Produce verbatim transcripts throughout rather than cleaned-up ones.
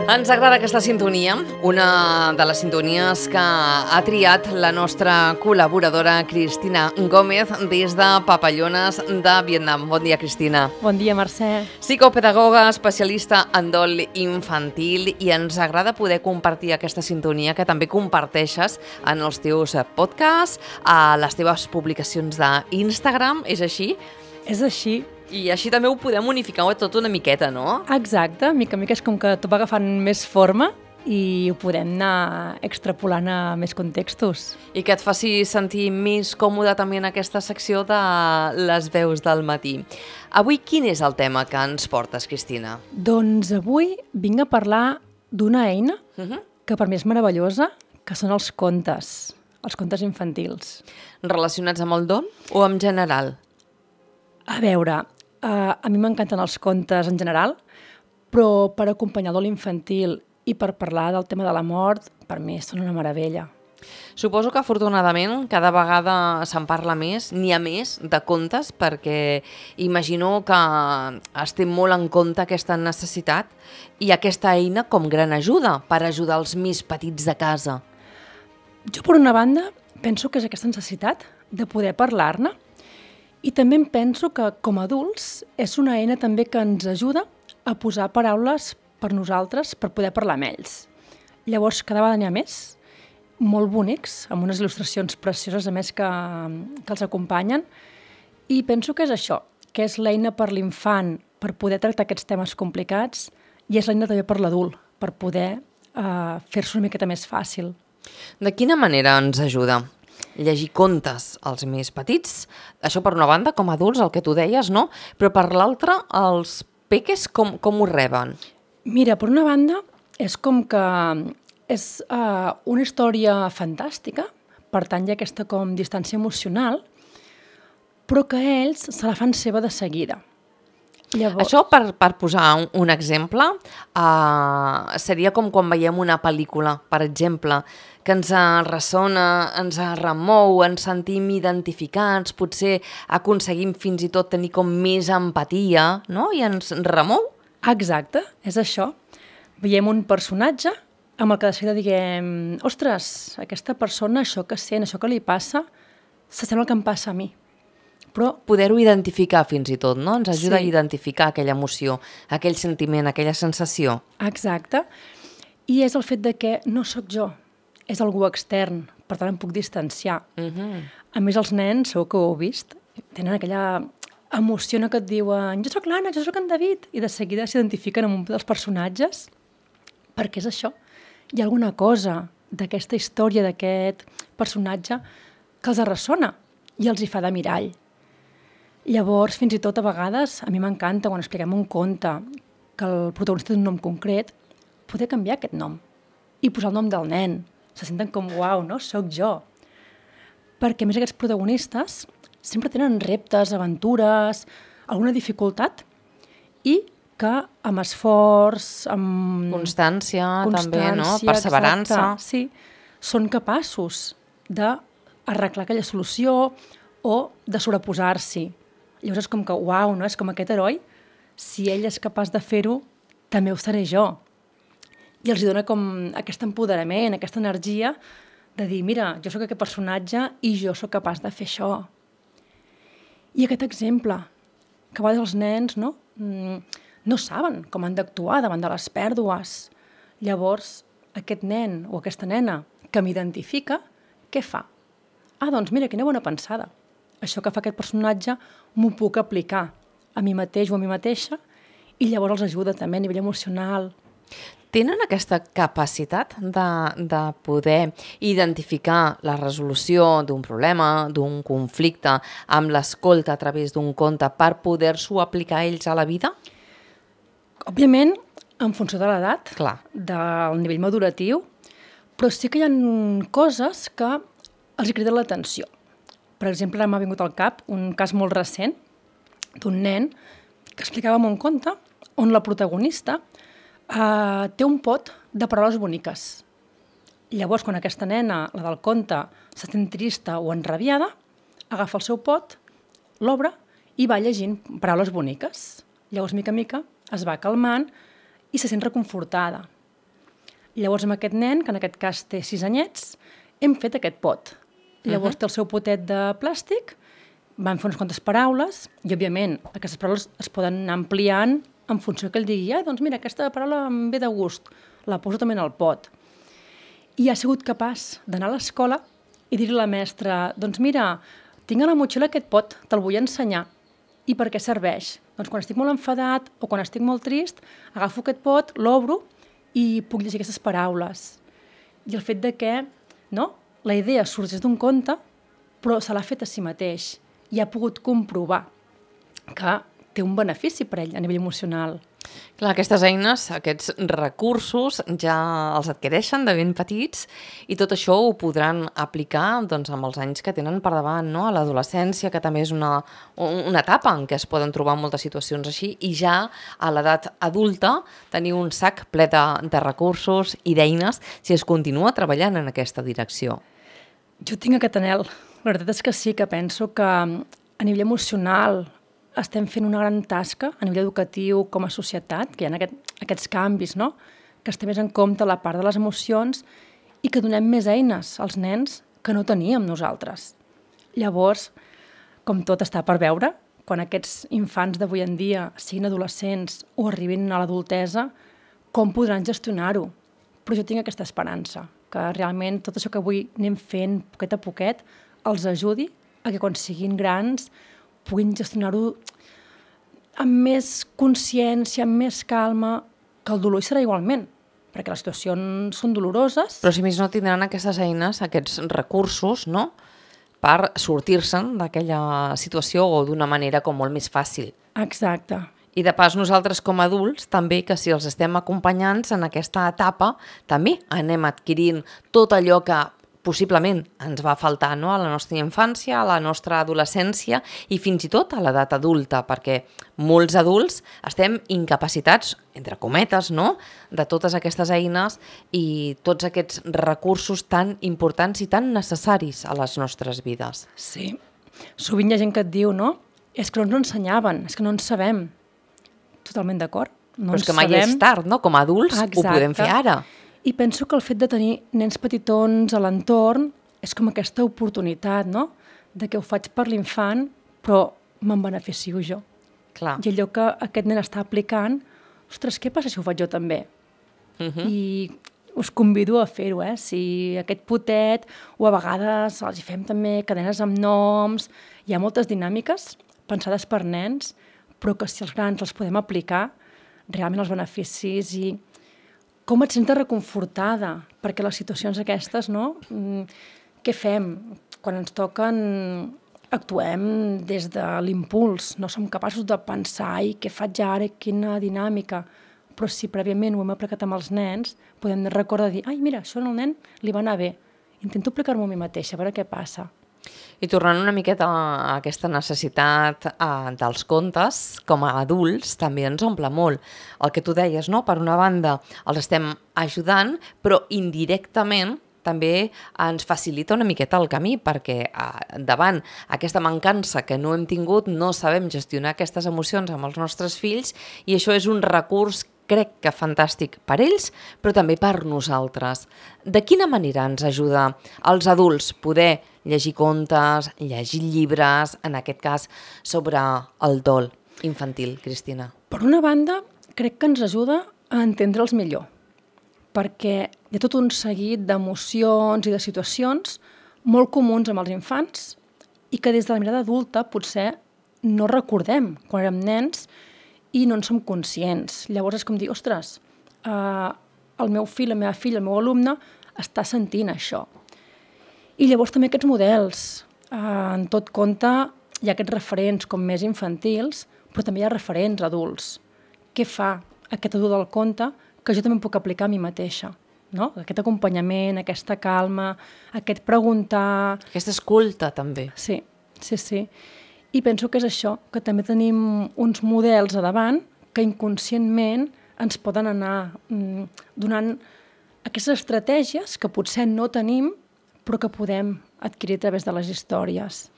Ens agrada aquesta sintonia, una de les sintonies que ha triat la nostra col·laboradora Cristina Gómez des de Papallones de Vietnam. Bon dia, Cristina. Bon dia, Mercè. Psicopedagoga, especialista en dol infantil, i ens agrada poder compartir aquesta sintonia que també comparteixes en els teus podcasts, a les teves publicacions d'Instagram, és així? És així. I així també ho podem unificar tot una miqueta, no? Exacte, mica en mica és com que tot va agafant més forma i ho podem anar extrapolant a més contextos. I que et faci sentir més còmode també en aquesta secció de les veus del matí. Avui quin és el tema que ens portes, Cristina? Doncs avui vinc a parlar d'una eina Uh-huh. que per mi és meravellosa, que són els contes, els contes infantils. Relacionats amb el dol o en general? A veure, uh, a mi m'encanten els contes en general, però per acompanyar el dol infantil i per parlar del tema de la mort, per mi són una meravella. Suposo que afortunadament cada vegada se'n parla més, n'hi ha més de contes, perquè imagino que es té molt en compte aquesta necessitat i aquesta eina com gran ajuda per ajudar els més petits de casa. Jo, per una banda, penso que és aquesta necessitat de poder parlar-ne, i també em penso que, com a adults, és una eina també que ens ajuda a posar paraules per nosaltres per poder parlar amb ells. Llavors, cada vegada n'hi ha més, molt bonics, amb unes il·lustracions precioses, a més, que, que els acompanyen, i penso que és això, que és l'eina per l'infant per poder tractar aquests temes complicats i és l'eina també per l'adult, per poder eh, fer-se una miqueta més fàcil. De quina manera ens ajuda? Llegir contes als més petits, això per una banda, com a adults, el que tu deies, no? Però per l'altra, els peques com, com ho reben? Mira, per una banda, és com que és uh, una història fantàstica, per tant hi ha aquesta com distància emocional, però que ells se la fan seva de seguida. Llavors... Això, per, per posar un, un exemple, uh, seria com quan veiem una pel·lícula, per exemple, que ens ressona, ens remou, ens sentim identificats, potser aconseguim fins i tot tenir com més empatia, no? I ens remou. Exacte, és això. Veiem un personatge amb el que de seguida diguem ostres, aquesta persona, això que sent, això que li passa, s'assembla el que em passa a mi. Però poder-ho identificar fins i tot, no? Ens ajuda sí. a identificar aquella emoció, aquell sentiment, aquella sensació. Exacte. I és el fet de que no sóc jo, és algú extern, per tant em puc distanciar. Uh-huh. A més, els nens, segur que ho heu vist, tenen aquella emoció que et diuen jo sóc l'Anna, jo sóc en David, i de seguida s'identifiquen amb un dels personatges, perquè és això. Hi ha alguna cosa d'aquesta història, d'aquest personatge, que els ressona i els hi fa de mirall. Llavors, fins i tot a vegades, a mi m'encanta quan expliquem un conte que el protagonista té un nom concret, poder canviar aquest nom i posar el nom del nen. Se senten com, uau, no? Soc jo. Perquè, a més, aquests protagonistes sempre tenen reptes, aventures, alguna dificultat i que amb esforç, amb... Constància, constància també, no? Perseverança. Exacte, sí, són capaços d'arreglar aquella solució o de sobreposar-s'hi. Llavors és com que, uau, no? És com aquest heroi, si ell és capaç de fer-ho, també ho seré jo. I els dona com aquest empoderament, aquesta energia de dir, mira, jo sóc aquest personatge i jo sóc capaç de fer això. I aquest exemple, que a vegades els nens no, no saben com han d'actuar davant de les pèrdues. Llavors, aquest nen o aquesta nena que m'identifica, què fa? Ah, doncs mira, quina bona pensada. Això que fa aquest personatge m'ho puc aplicar a mi mateix o a mi mateixa i llavors els ajuda també a nivell emocional. Tenen aquesta capacitat de, de poder identificar la resolució d'un problema, d'un conflicte, amb l'escolta a través d'un conte per poder-s'ho aplicar ells a la vida? Òbviament, en funció de l'edat, Clar. del nivell maduratiu, però sí que hi ha coses que els hi criden l'atenció. Per exemple, m'ha vingut al cap un cas molt recent d'un nen que explicava en un conte on la protagonista Uh, té un pot de paraules boniques. Llavors, quan aquesta nena, la del conte, se sent trista o enrabiada, agafa el seu pot, l'obre i va llegint paraules boniques. Llavors, mica en mica, es va calmant i se sent reconfortada. Llavors, amb aquest nen, que en aquest cas té sis anyets, hem fet aquest pot. Llavors, uh-huh. té el seu potet de plàstic, van fer unes quantes paraules, i, òbviament, aquestes paraules es poden anar ampliant en funció que ell digui, ah, doncs mira, aquesta paraula em ve de gust, la poso també en el pot. I ha sigut capaç d'anar a l'escola i dir-li a la mestra, doncs mira, tinc a la motxilla aquest pot, te'l vull ensenyar. I per què serveix? Doncs quan estic molt enfadat o quan estic molt trist, agafo aquest pot, l'obro i puc llegir aquestes paraules. I el fet de que, no?, la idea sorgeix d'un conte, però se l'ha fet a si mateix i ha pogut comprovar que té un benefici per ell a nivell emocional. Clar, aquestes eines, aquests recursos ja els adquireixen de ben petits i tot això ho podran aplicar doncs, amb els anys que tenen per davant, no? A l'adolescència, que també és una, una etapa en què es poden trobar moltes situacions així, i ja a l'edat adulta tenir un sac ple de, de recursos i d'eines si es continua treballant en aquesta direcció. Jo tinc aquest anhel. La veritat és que sí, que penso que a nivell emocional estem fent una gran tasca a nivell educatiu com a societat, que hi ha aquest, aquests canvis, no? Que es té més en compte la part de les emocions i que donem més eines als nens que no teníem nosaltres. Llavors, com tot està per veure, quan aquests infants d'avui en dia siguin adolescents o arribin a l'adultesa, com podran gestionar-ho? Però jo tinc aquesta esperança, que realment tot això que avui anem fent poquet a poquet els ajudi a que quan siguin grans puguin gestionar-ho amb més consciència, amb més calma, que el dolor hi serà igualment, perquè les situacions són doloroses. Però si més no tindran aquestes eines, aquests recursos, no?, per sortir-se'n d'aquella situació o d'una manera com molt més fàcil. Exacte. I de pas nosaltres com a adults també, que si els estem acompanyant en aquesta etapa, també anem adquirint tot allò que possiblement ens va faltar, no?, a la nostra infància, a la nostra adolescència i fins i tot a l'edat adulta, perquè molts adults estem incapacitats, entre cometes, no?, de totes aquestes eines i tots aquests recursos tan importants i tan necessaris a les nostres vides. Sí. Sovint hi ha gent que et diu, no?, és que no ens ensenyaven, és que no en sabem. Totalment d'acord. No Però és que mai sabem. És tard, no? Com a adults Exacte. Ho podem fer ara. I penso que el fet de tenir nens petitons a l'entorn és com aquesta oportunitat, no?, de que ho faig per l'infant, però me'n beneficio jo. Clar. I allò que aquest nen està aplicant, ostres, què passa si ho faig jo també? Uh -huh. I us convido a fer-ho, eh? Si aquest potet, o a vegades els hi fem també cadenes amb noms, hi ha moltes dinàmiques pensades per nens, però que si els grans els podem aplicar, realment els beneficis i com et sents reconfortada, perquè les situacions aquestes, no? Què fem? Quan ens toquen, actuem des de l'impuls, no som capaços de pensar i què faig ara, quina dinàmica, però si prèviament ho hem aplicat amb els nens, podem recordar dir, ai, mira, això al nen li va anar bé, intento aplicar-m'ho a mi mateixa, a veure què passa. I tornant una miqueta a aquesta necessitat eh, dels contes, com a adults també ens omple molt. El que tu deies, no? Per una banda els estem ajudant, però indirectament també ens facilita una miqueta el camí, perquè eh, davant aquesta mancança que no hem tingut, no sabem gestionar aquestes emocions amb els nostres fills, i això és un recurs, crec que fantàstic per ells, però també per nosaltres. De quina manera ens ajuda als adults poder llegir contes, llegir llibres, en aquest cas sobre el dol infantil, Cristina? Per una banda, crec que ens ajuda a entendre'ls millor, perquè hi ha tot un seguit d'emocions i de situacions molt comuns amb els infants i que des de la mirada adulta potser no recordem quan érem nens i no en som conscients. Llavors és com dir, ostres, eh, el meu fill, la meva filla, el meu alumne està sentint això. I llavors també aquests models. Eh, en tot compte hi ha aquests referents com més infantils, però també hi ha referents adults. Què fa aquest adult del conte que jo també puc aplicar a mi mateixa? No? Aquest acompanyament, aquesta calma, aquest preguntar... Aquesta escolta, també. Sí, sí, sí. I penso que és això, que també tenim uns models a davant que inconscientment ens poden anar mm, donant aquestes estratègies que potser no tenim, però que podem adquirir a través de les històries.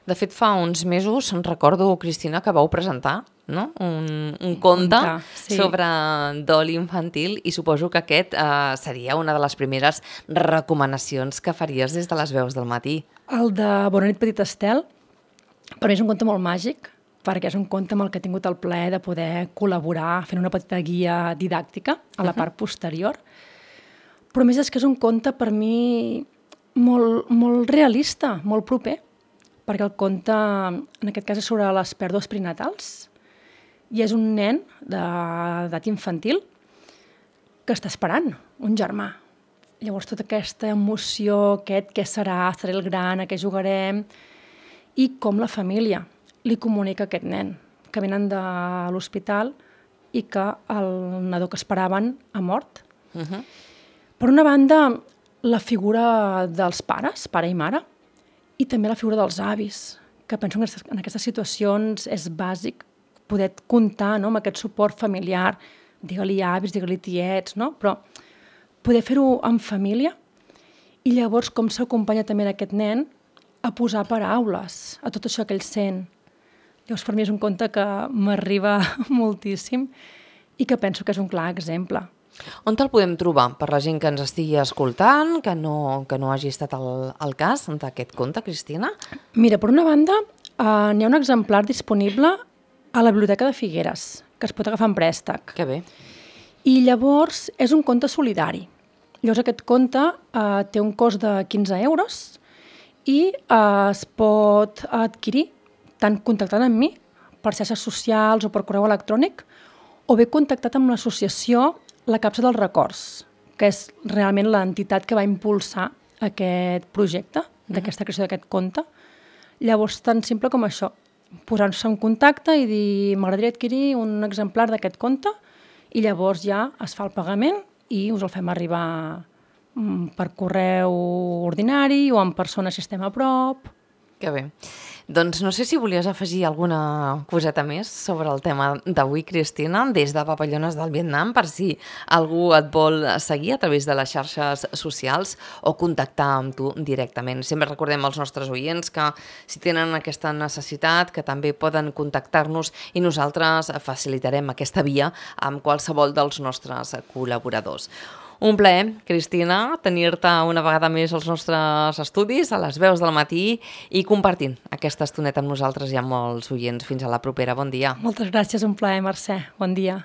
De fet, fa uns mesos, recordo, Cristina, que vau presentar, no? un, un conte, conte, sí. sobre dol infantil, i suposo que aquest eh, seria una de les primeres recomanacions que faries des de les veus del matí. El de Bona nit, petit Estel, per mi és un conte molt màgic, perquè és un conte amb el que he tingut el plaer de poder col·laborar fent una petita guia didàctica a la part posterior. Però a més és que és un conte per mi molt, molt realista, molt proper, perquè el conte, en aquest cas, és sobre les pèrdues perinatals, i és un nen d'edat infantil que està esperant un germà. Llavors, tota aquesta emoció, aquest què serà, seré el gran, a què jugarem, i com la família li comunica a aquest nen, que venen de l'hospital i que el nadó que esperaven ha mort. Uh-huh. Per una banda, la figura dels pares, pare i mare, i també la figura dels avis, que penso que en aquestes situacions és bàsic poder comptar, no?, amb aquest suport familiar, digue-li avis, digue-li tiets, no? Però poder fer-ho en família, i llavors com s'acompanya també aquest nen a posar paraules a tot això que ell sent. Llavors, per mi és un conte que m'arriba moltíssim i que penso que és un clar exemple. On te'l podem trobar per la gent que ens estigui escoltant, que no, que no hagi estat el, el cas d'aquest conte, Cristina? Mira, per una banda, eh, n'hi ha un exemplar disponible a la Biblioteca de Figueres, que es pot agafar en préstec. Que bé. I llavors és un conte solidari. Llavors aquest conte eh, té un cost de quinze euros i eh, es pot adquirir tant contactant amb mi per xarxes socials o per correu electrònic, o bé contactat amb l'associació La Capsa dels Records, que és realment l'entitat que va impulsar aquest projecte, d'aquesta creació d'aquest conte. Llavors, tan simple com això, posar-se en contacte i dir m'agradaria adquirir un exemplar d'aquest conte, i llavors ja es fa el pagament i us el fem arribar per correu ordinari o en persona si estem a prop. Que bé. Doncs no sé si volies afegir alguna coseta més sobre el tema d'avui, Cristina, des de Papallones del Vietnam, per si algú et vol seguir a través de les xarxes socials o contactar amb tu directament. Sempre recordem als nostres oients que si tenen aquesta necessitat, que també poden contactar-nos i nosaltres facilitarem aquesta via amb qualsevol dels nostres col·laboradors. Un plaer, Cristina, tenir-te una vegada més als nostres estudis, a les veus del matí, i compartint aquesta estoneta amb nosaltres i amb molts oients. Fins a la propera. Bon dia. Moltes gràcies, un plaer, Mercè. Bon dia.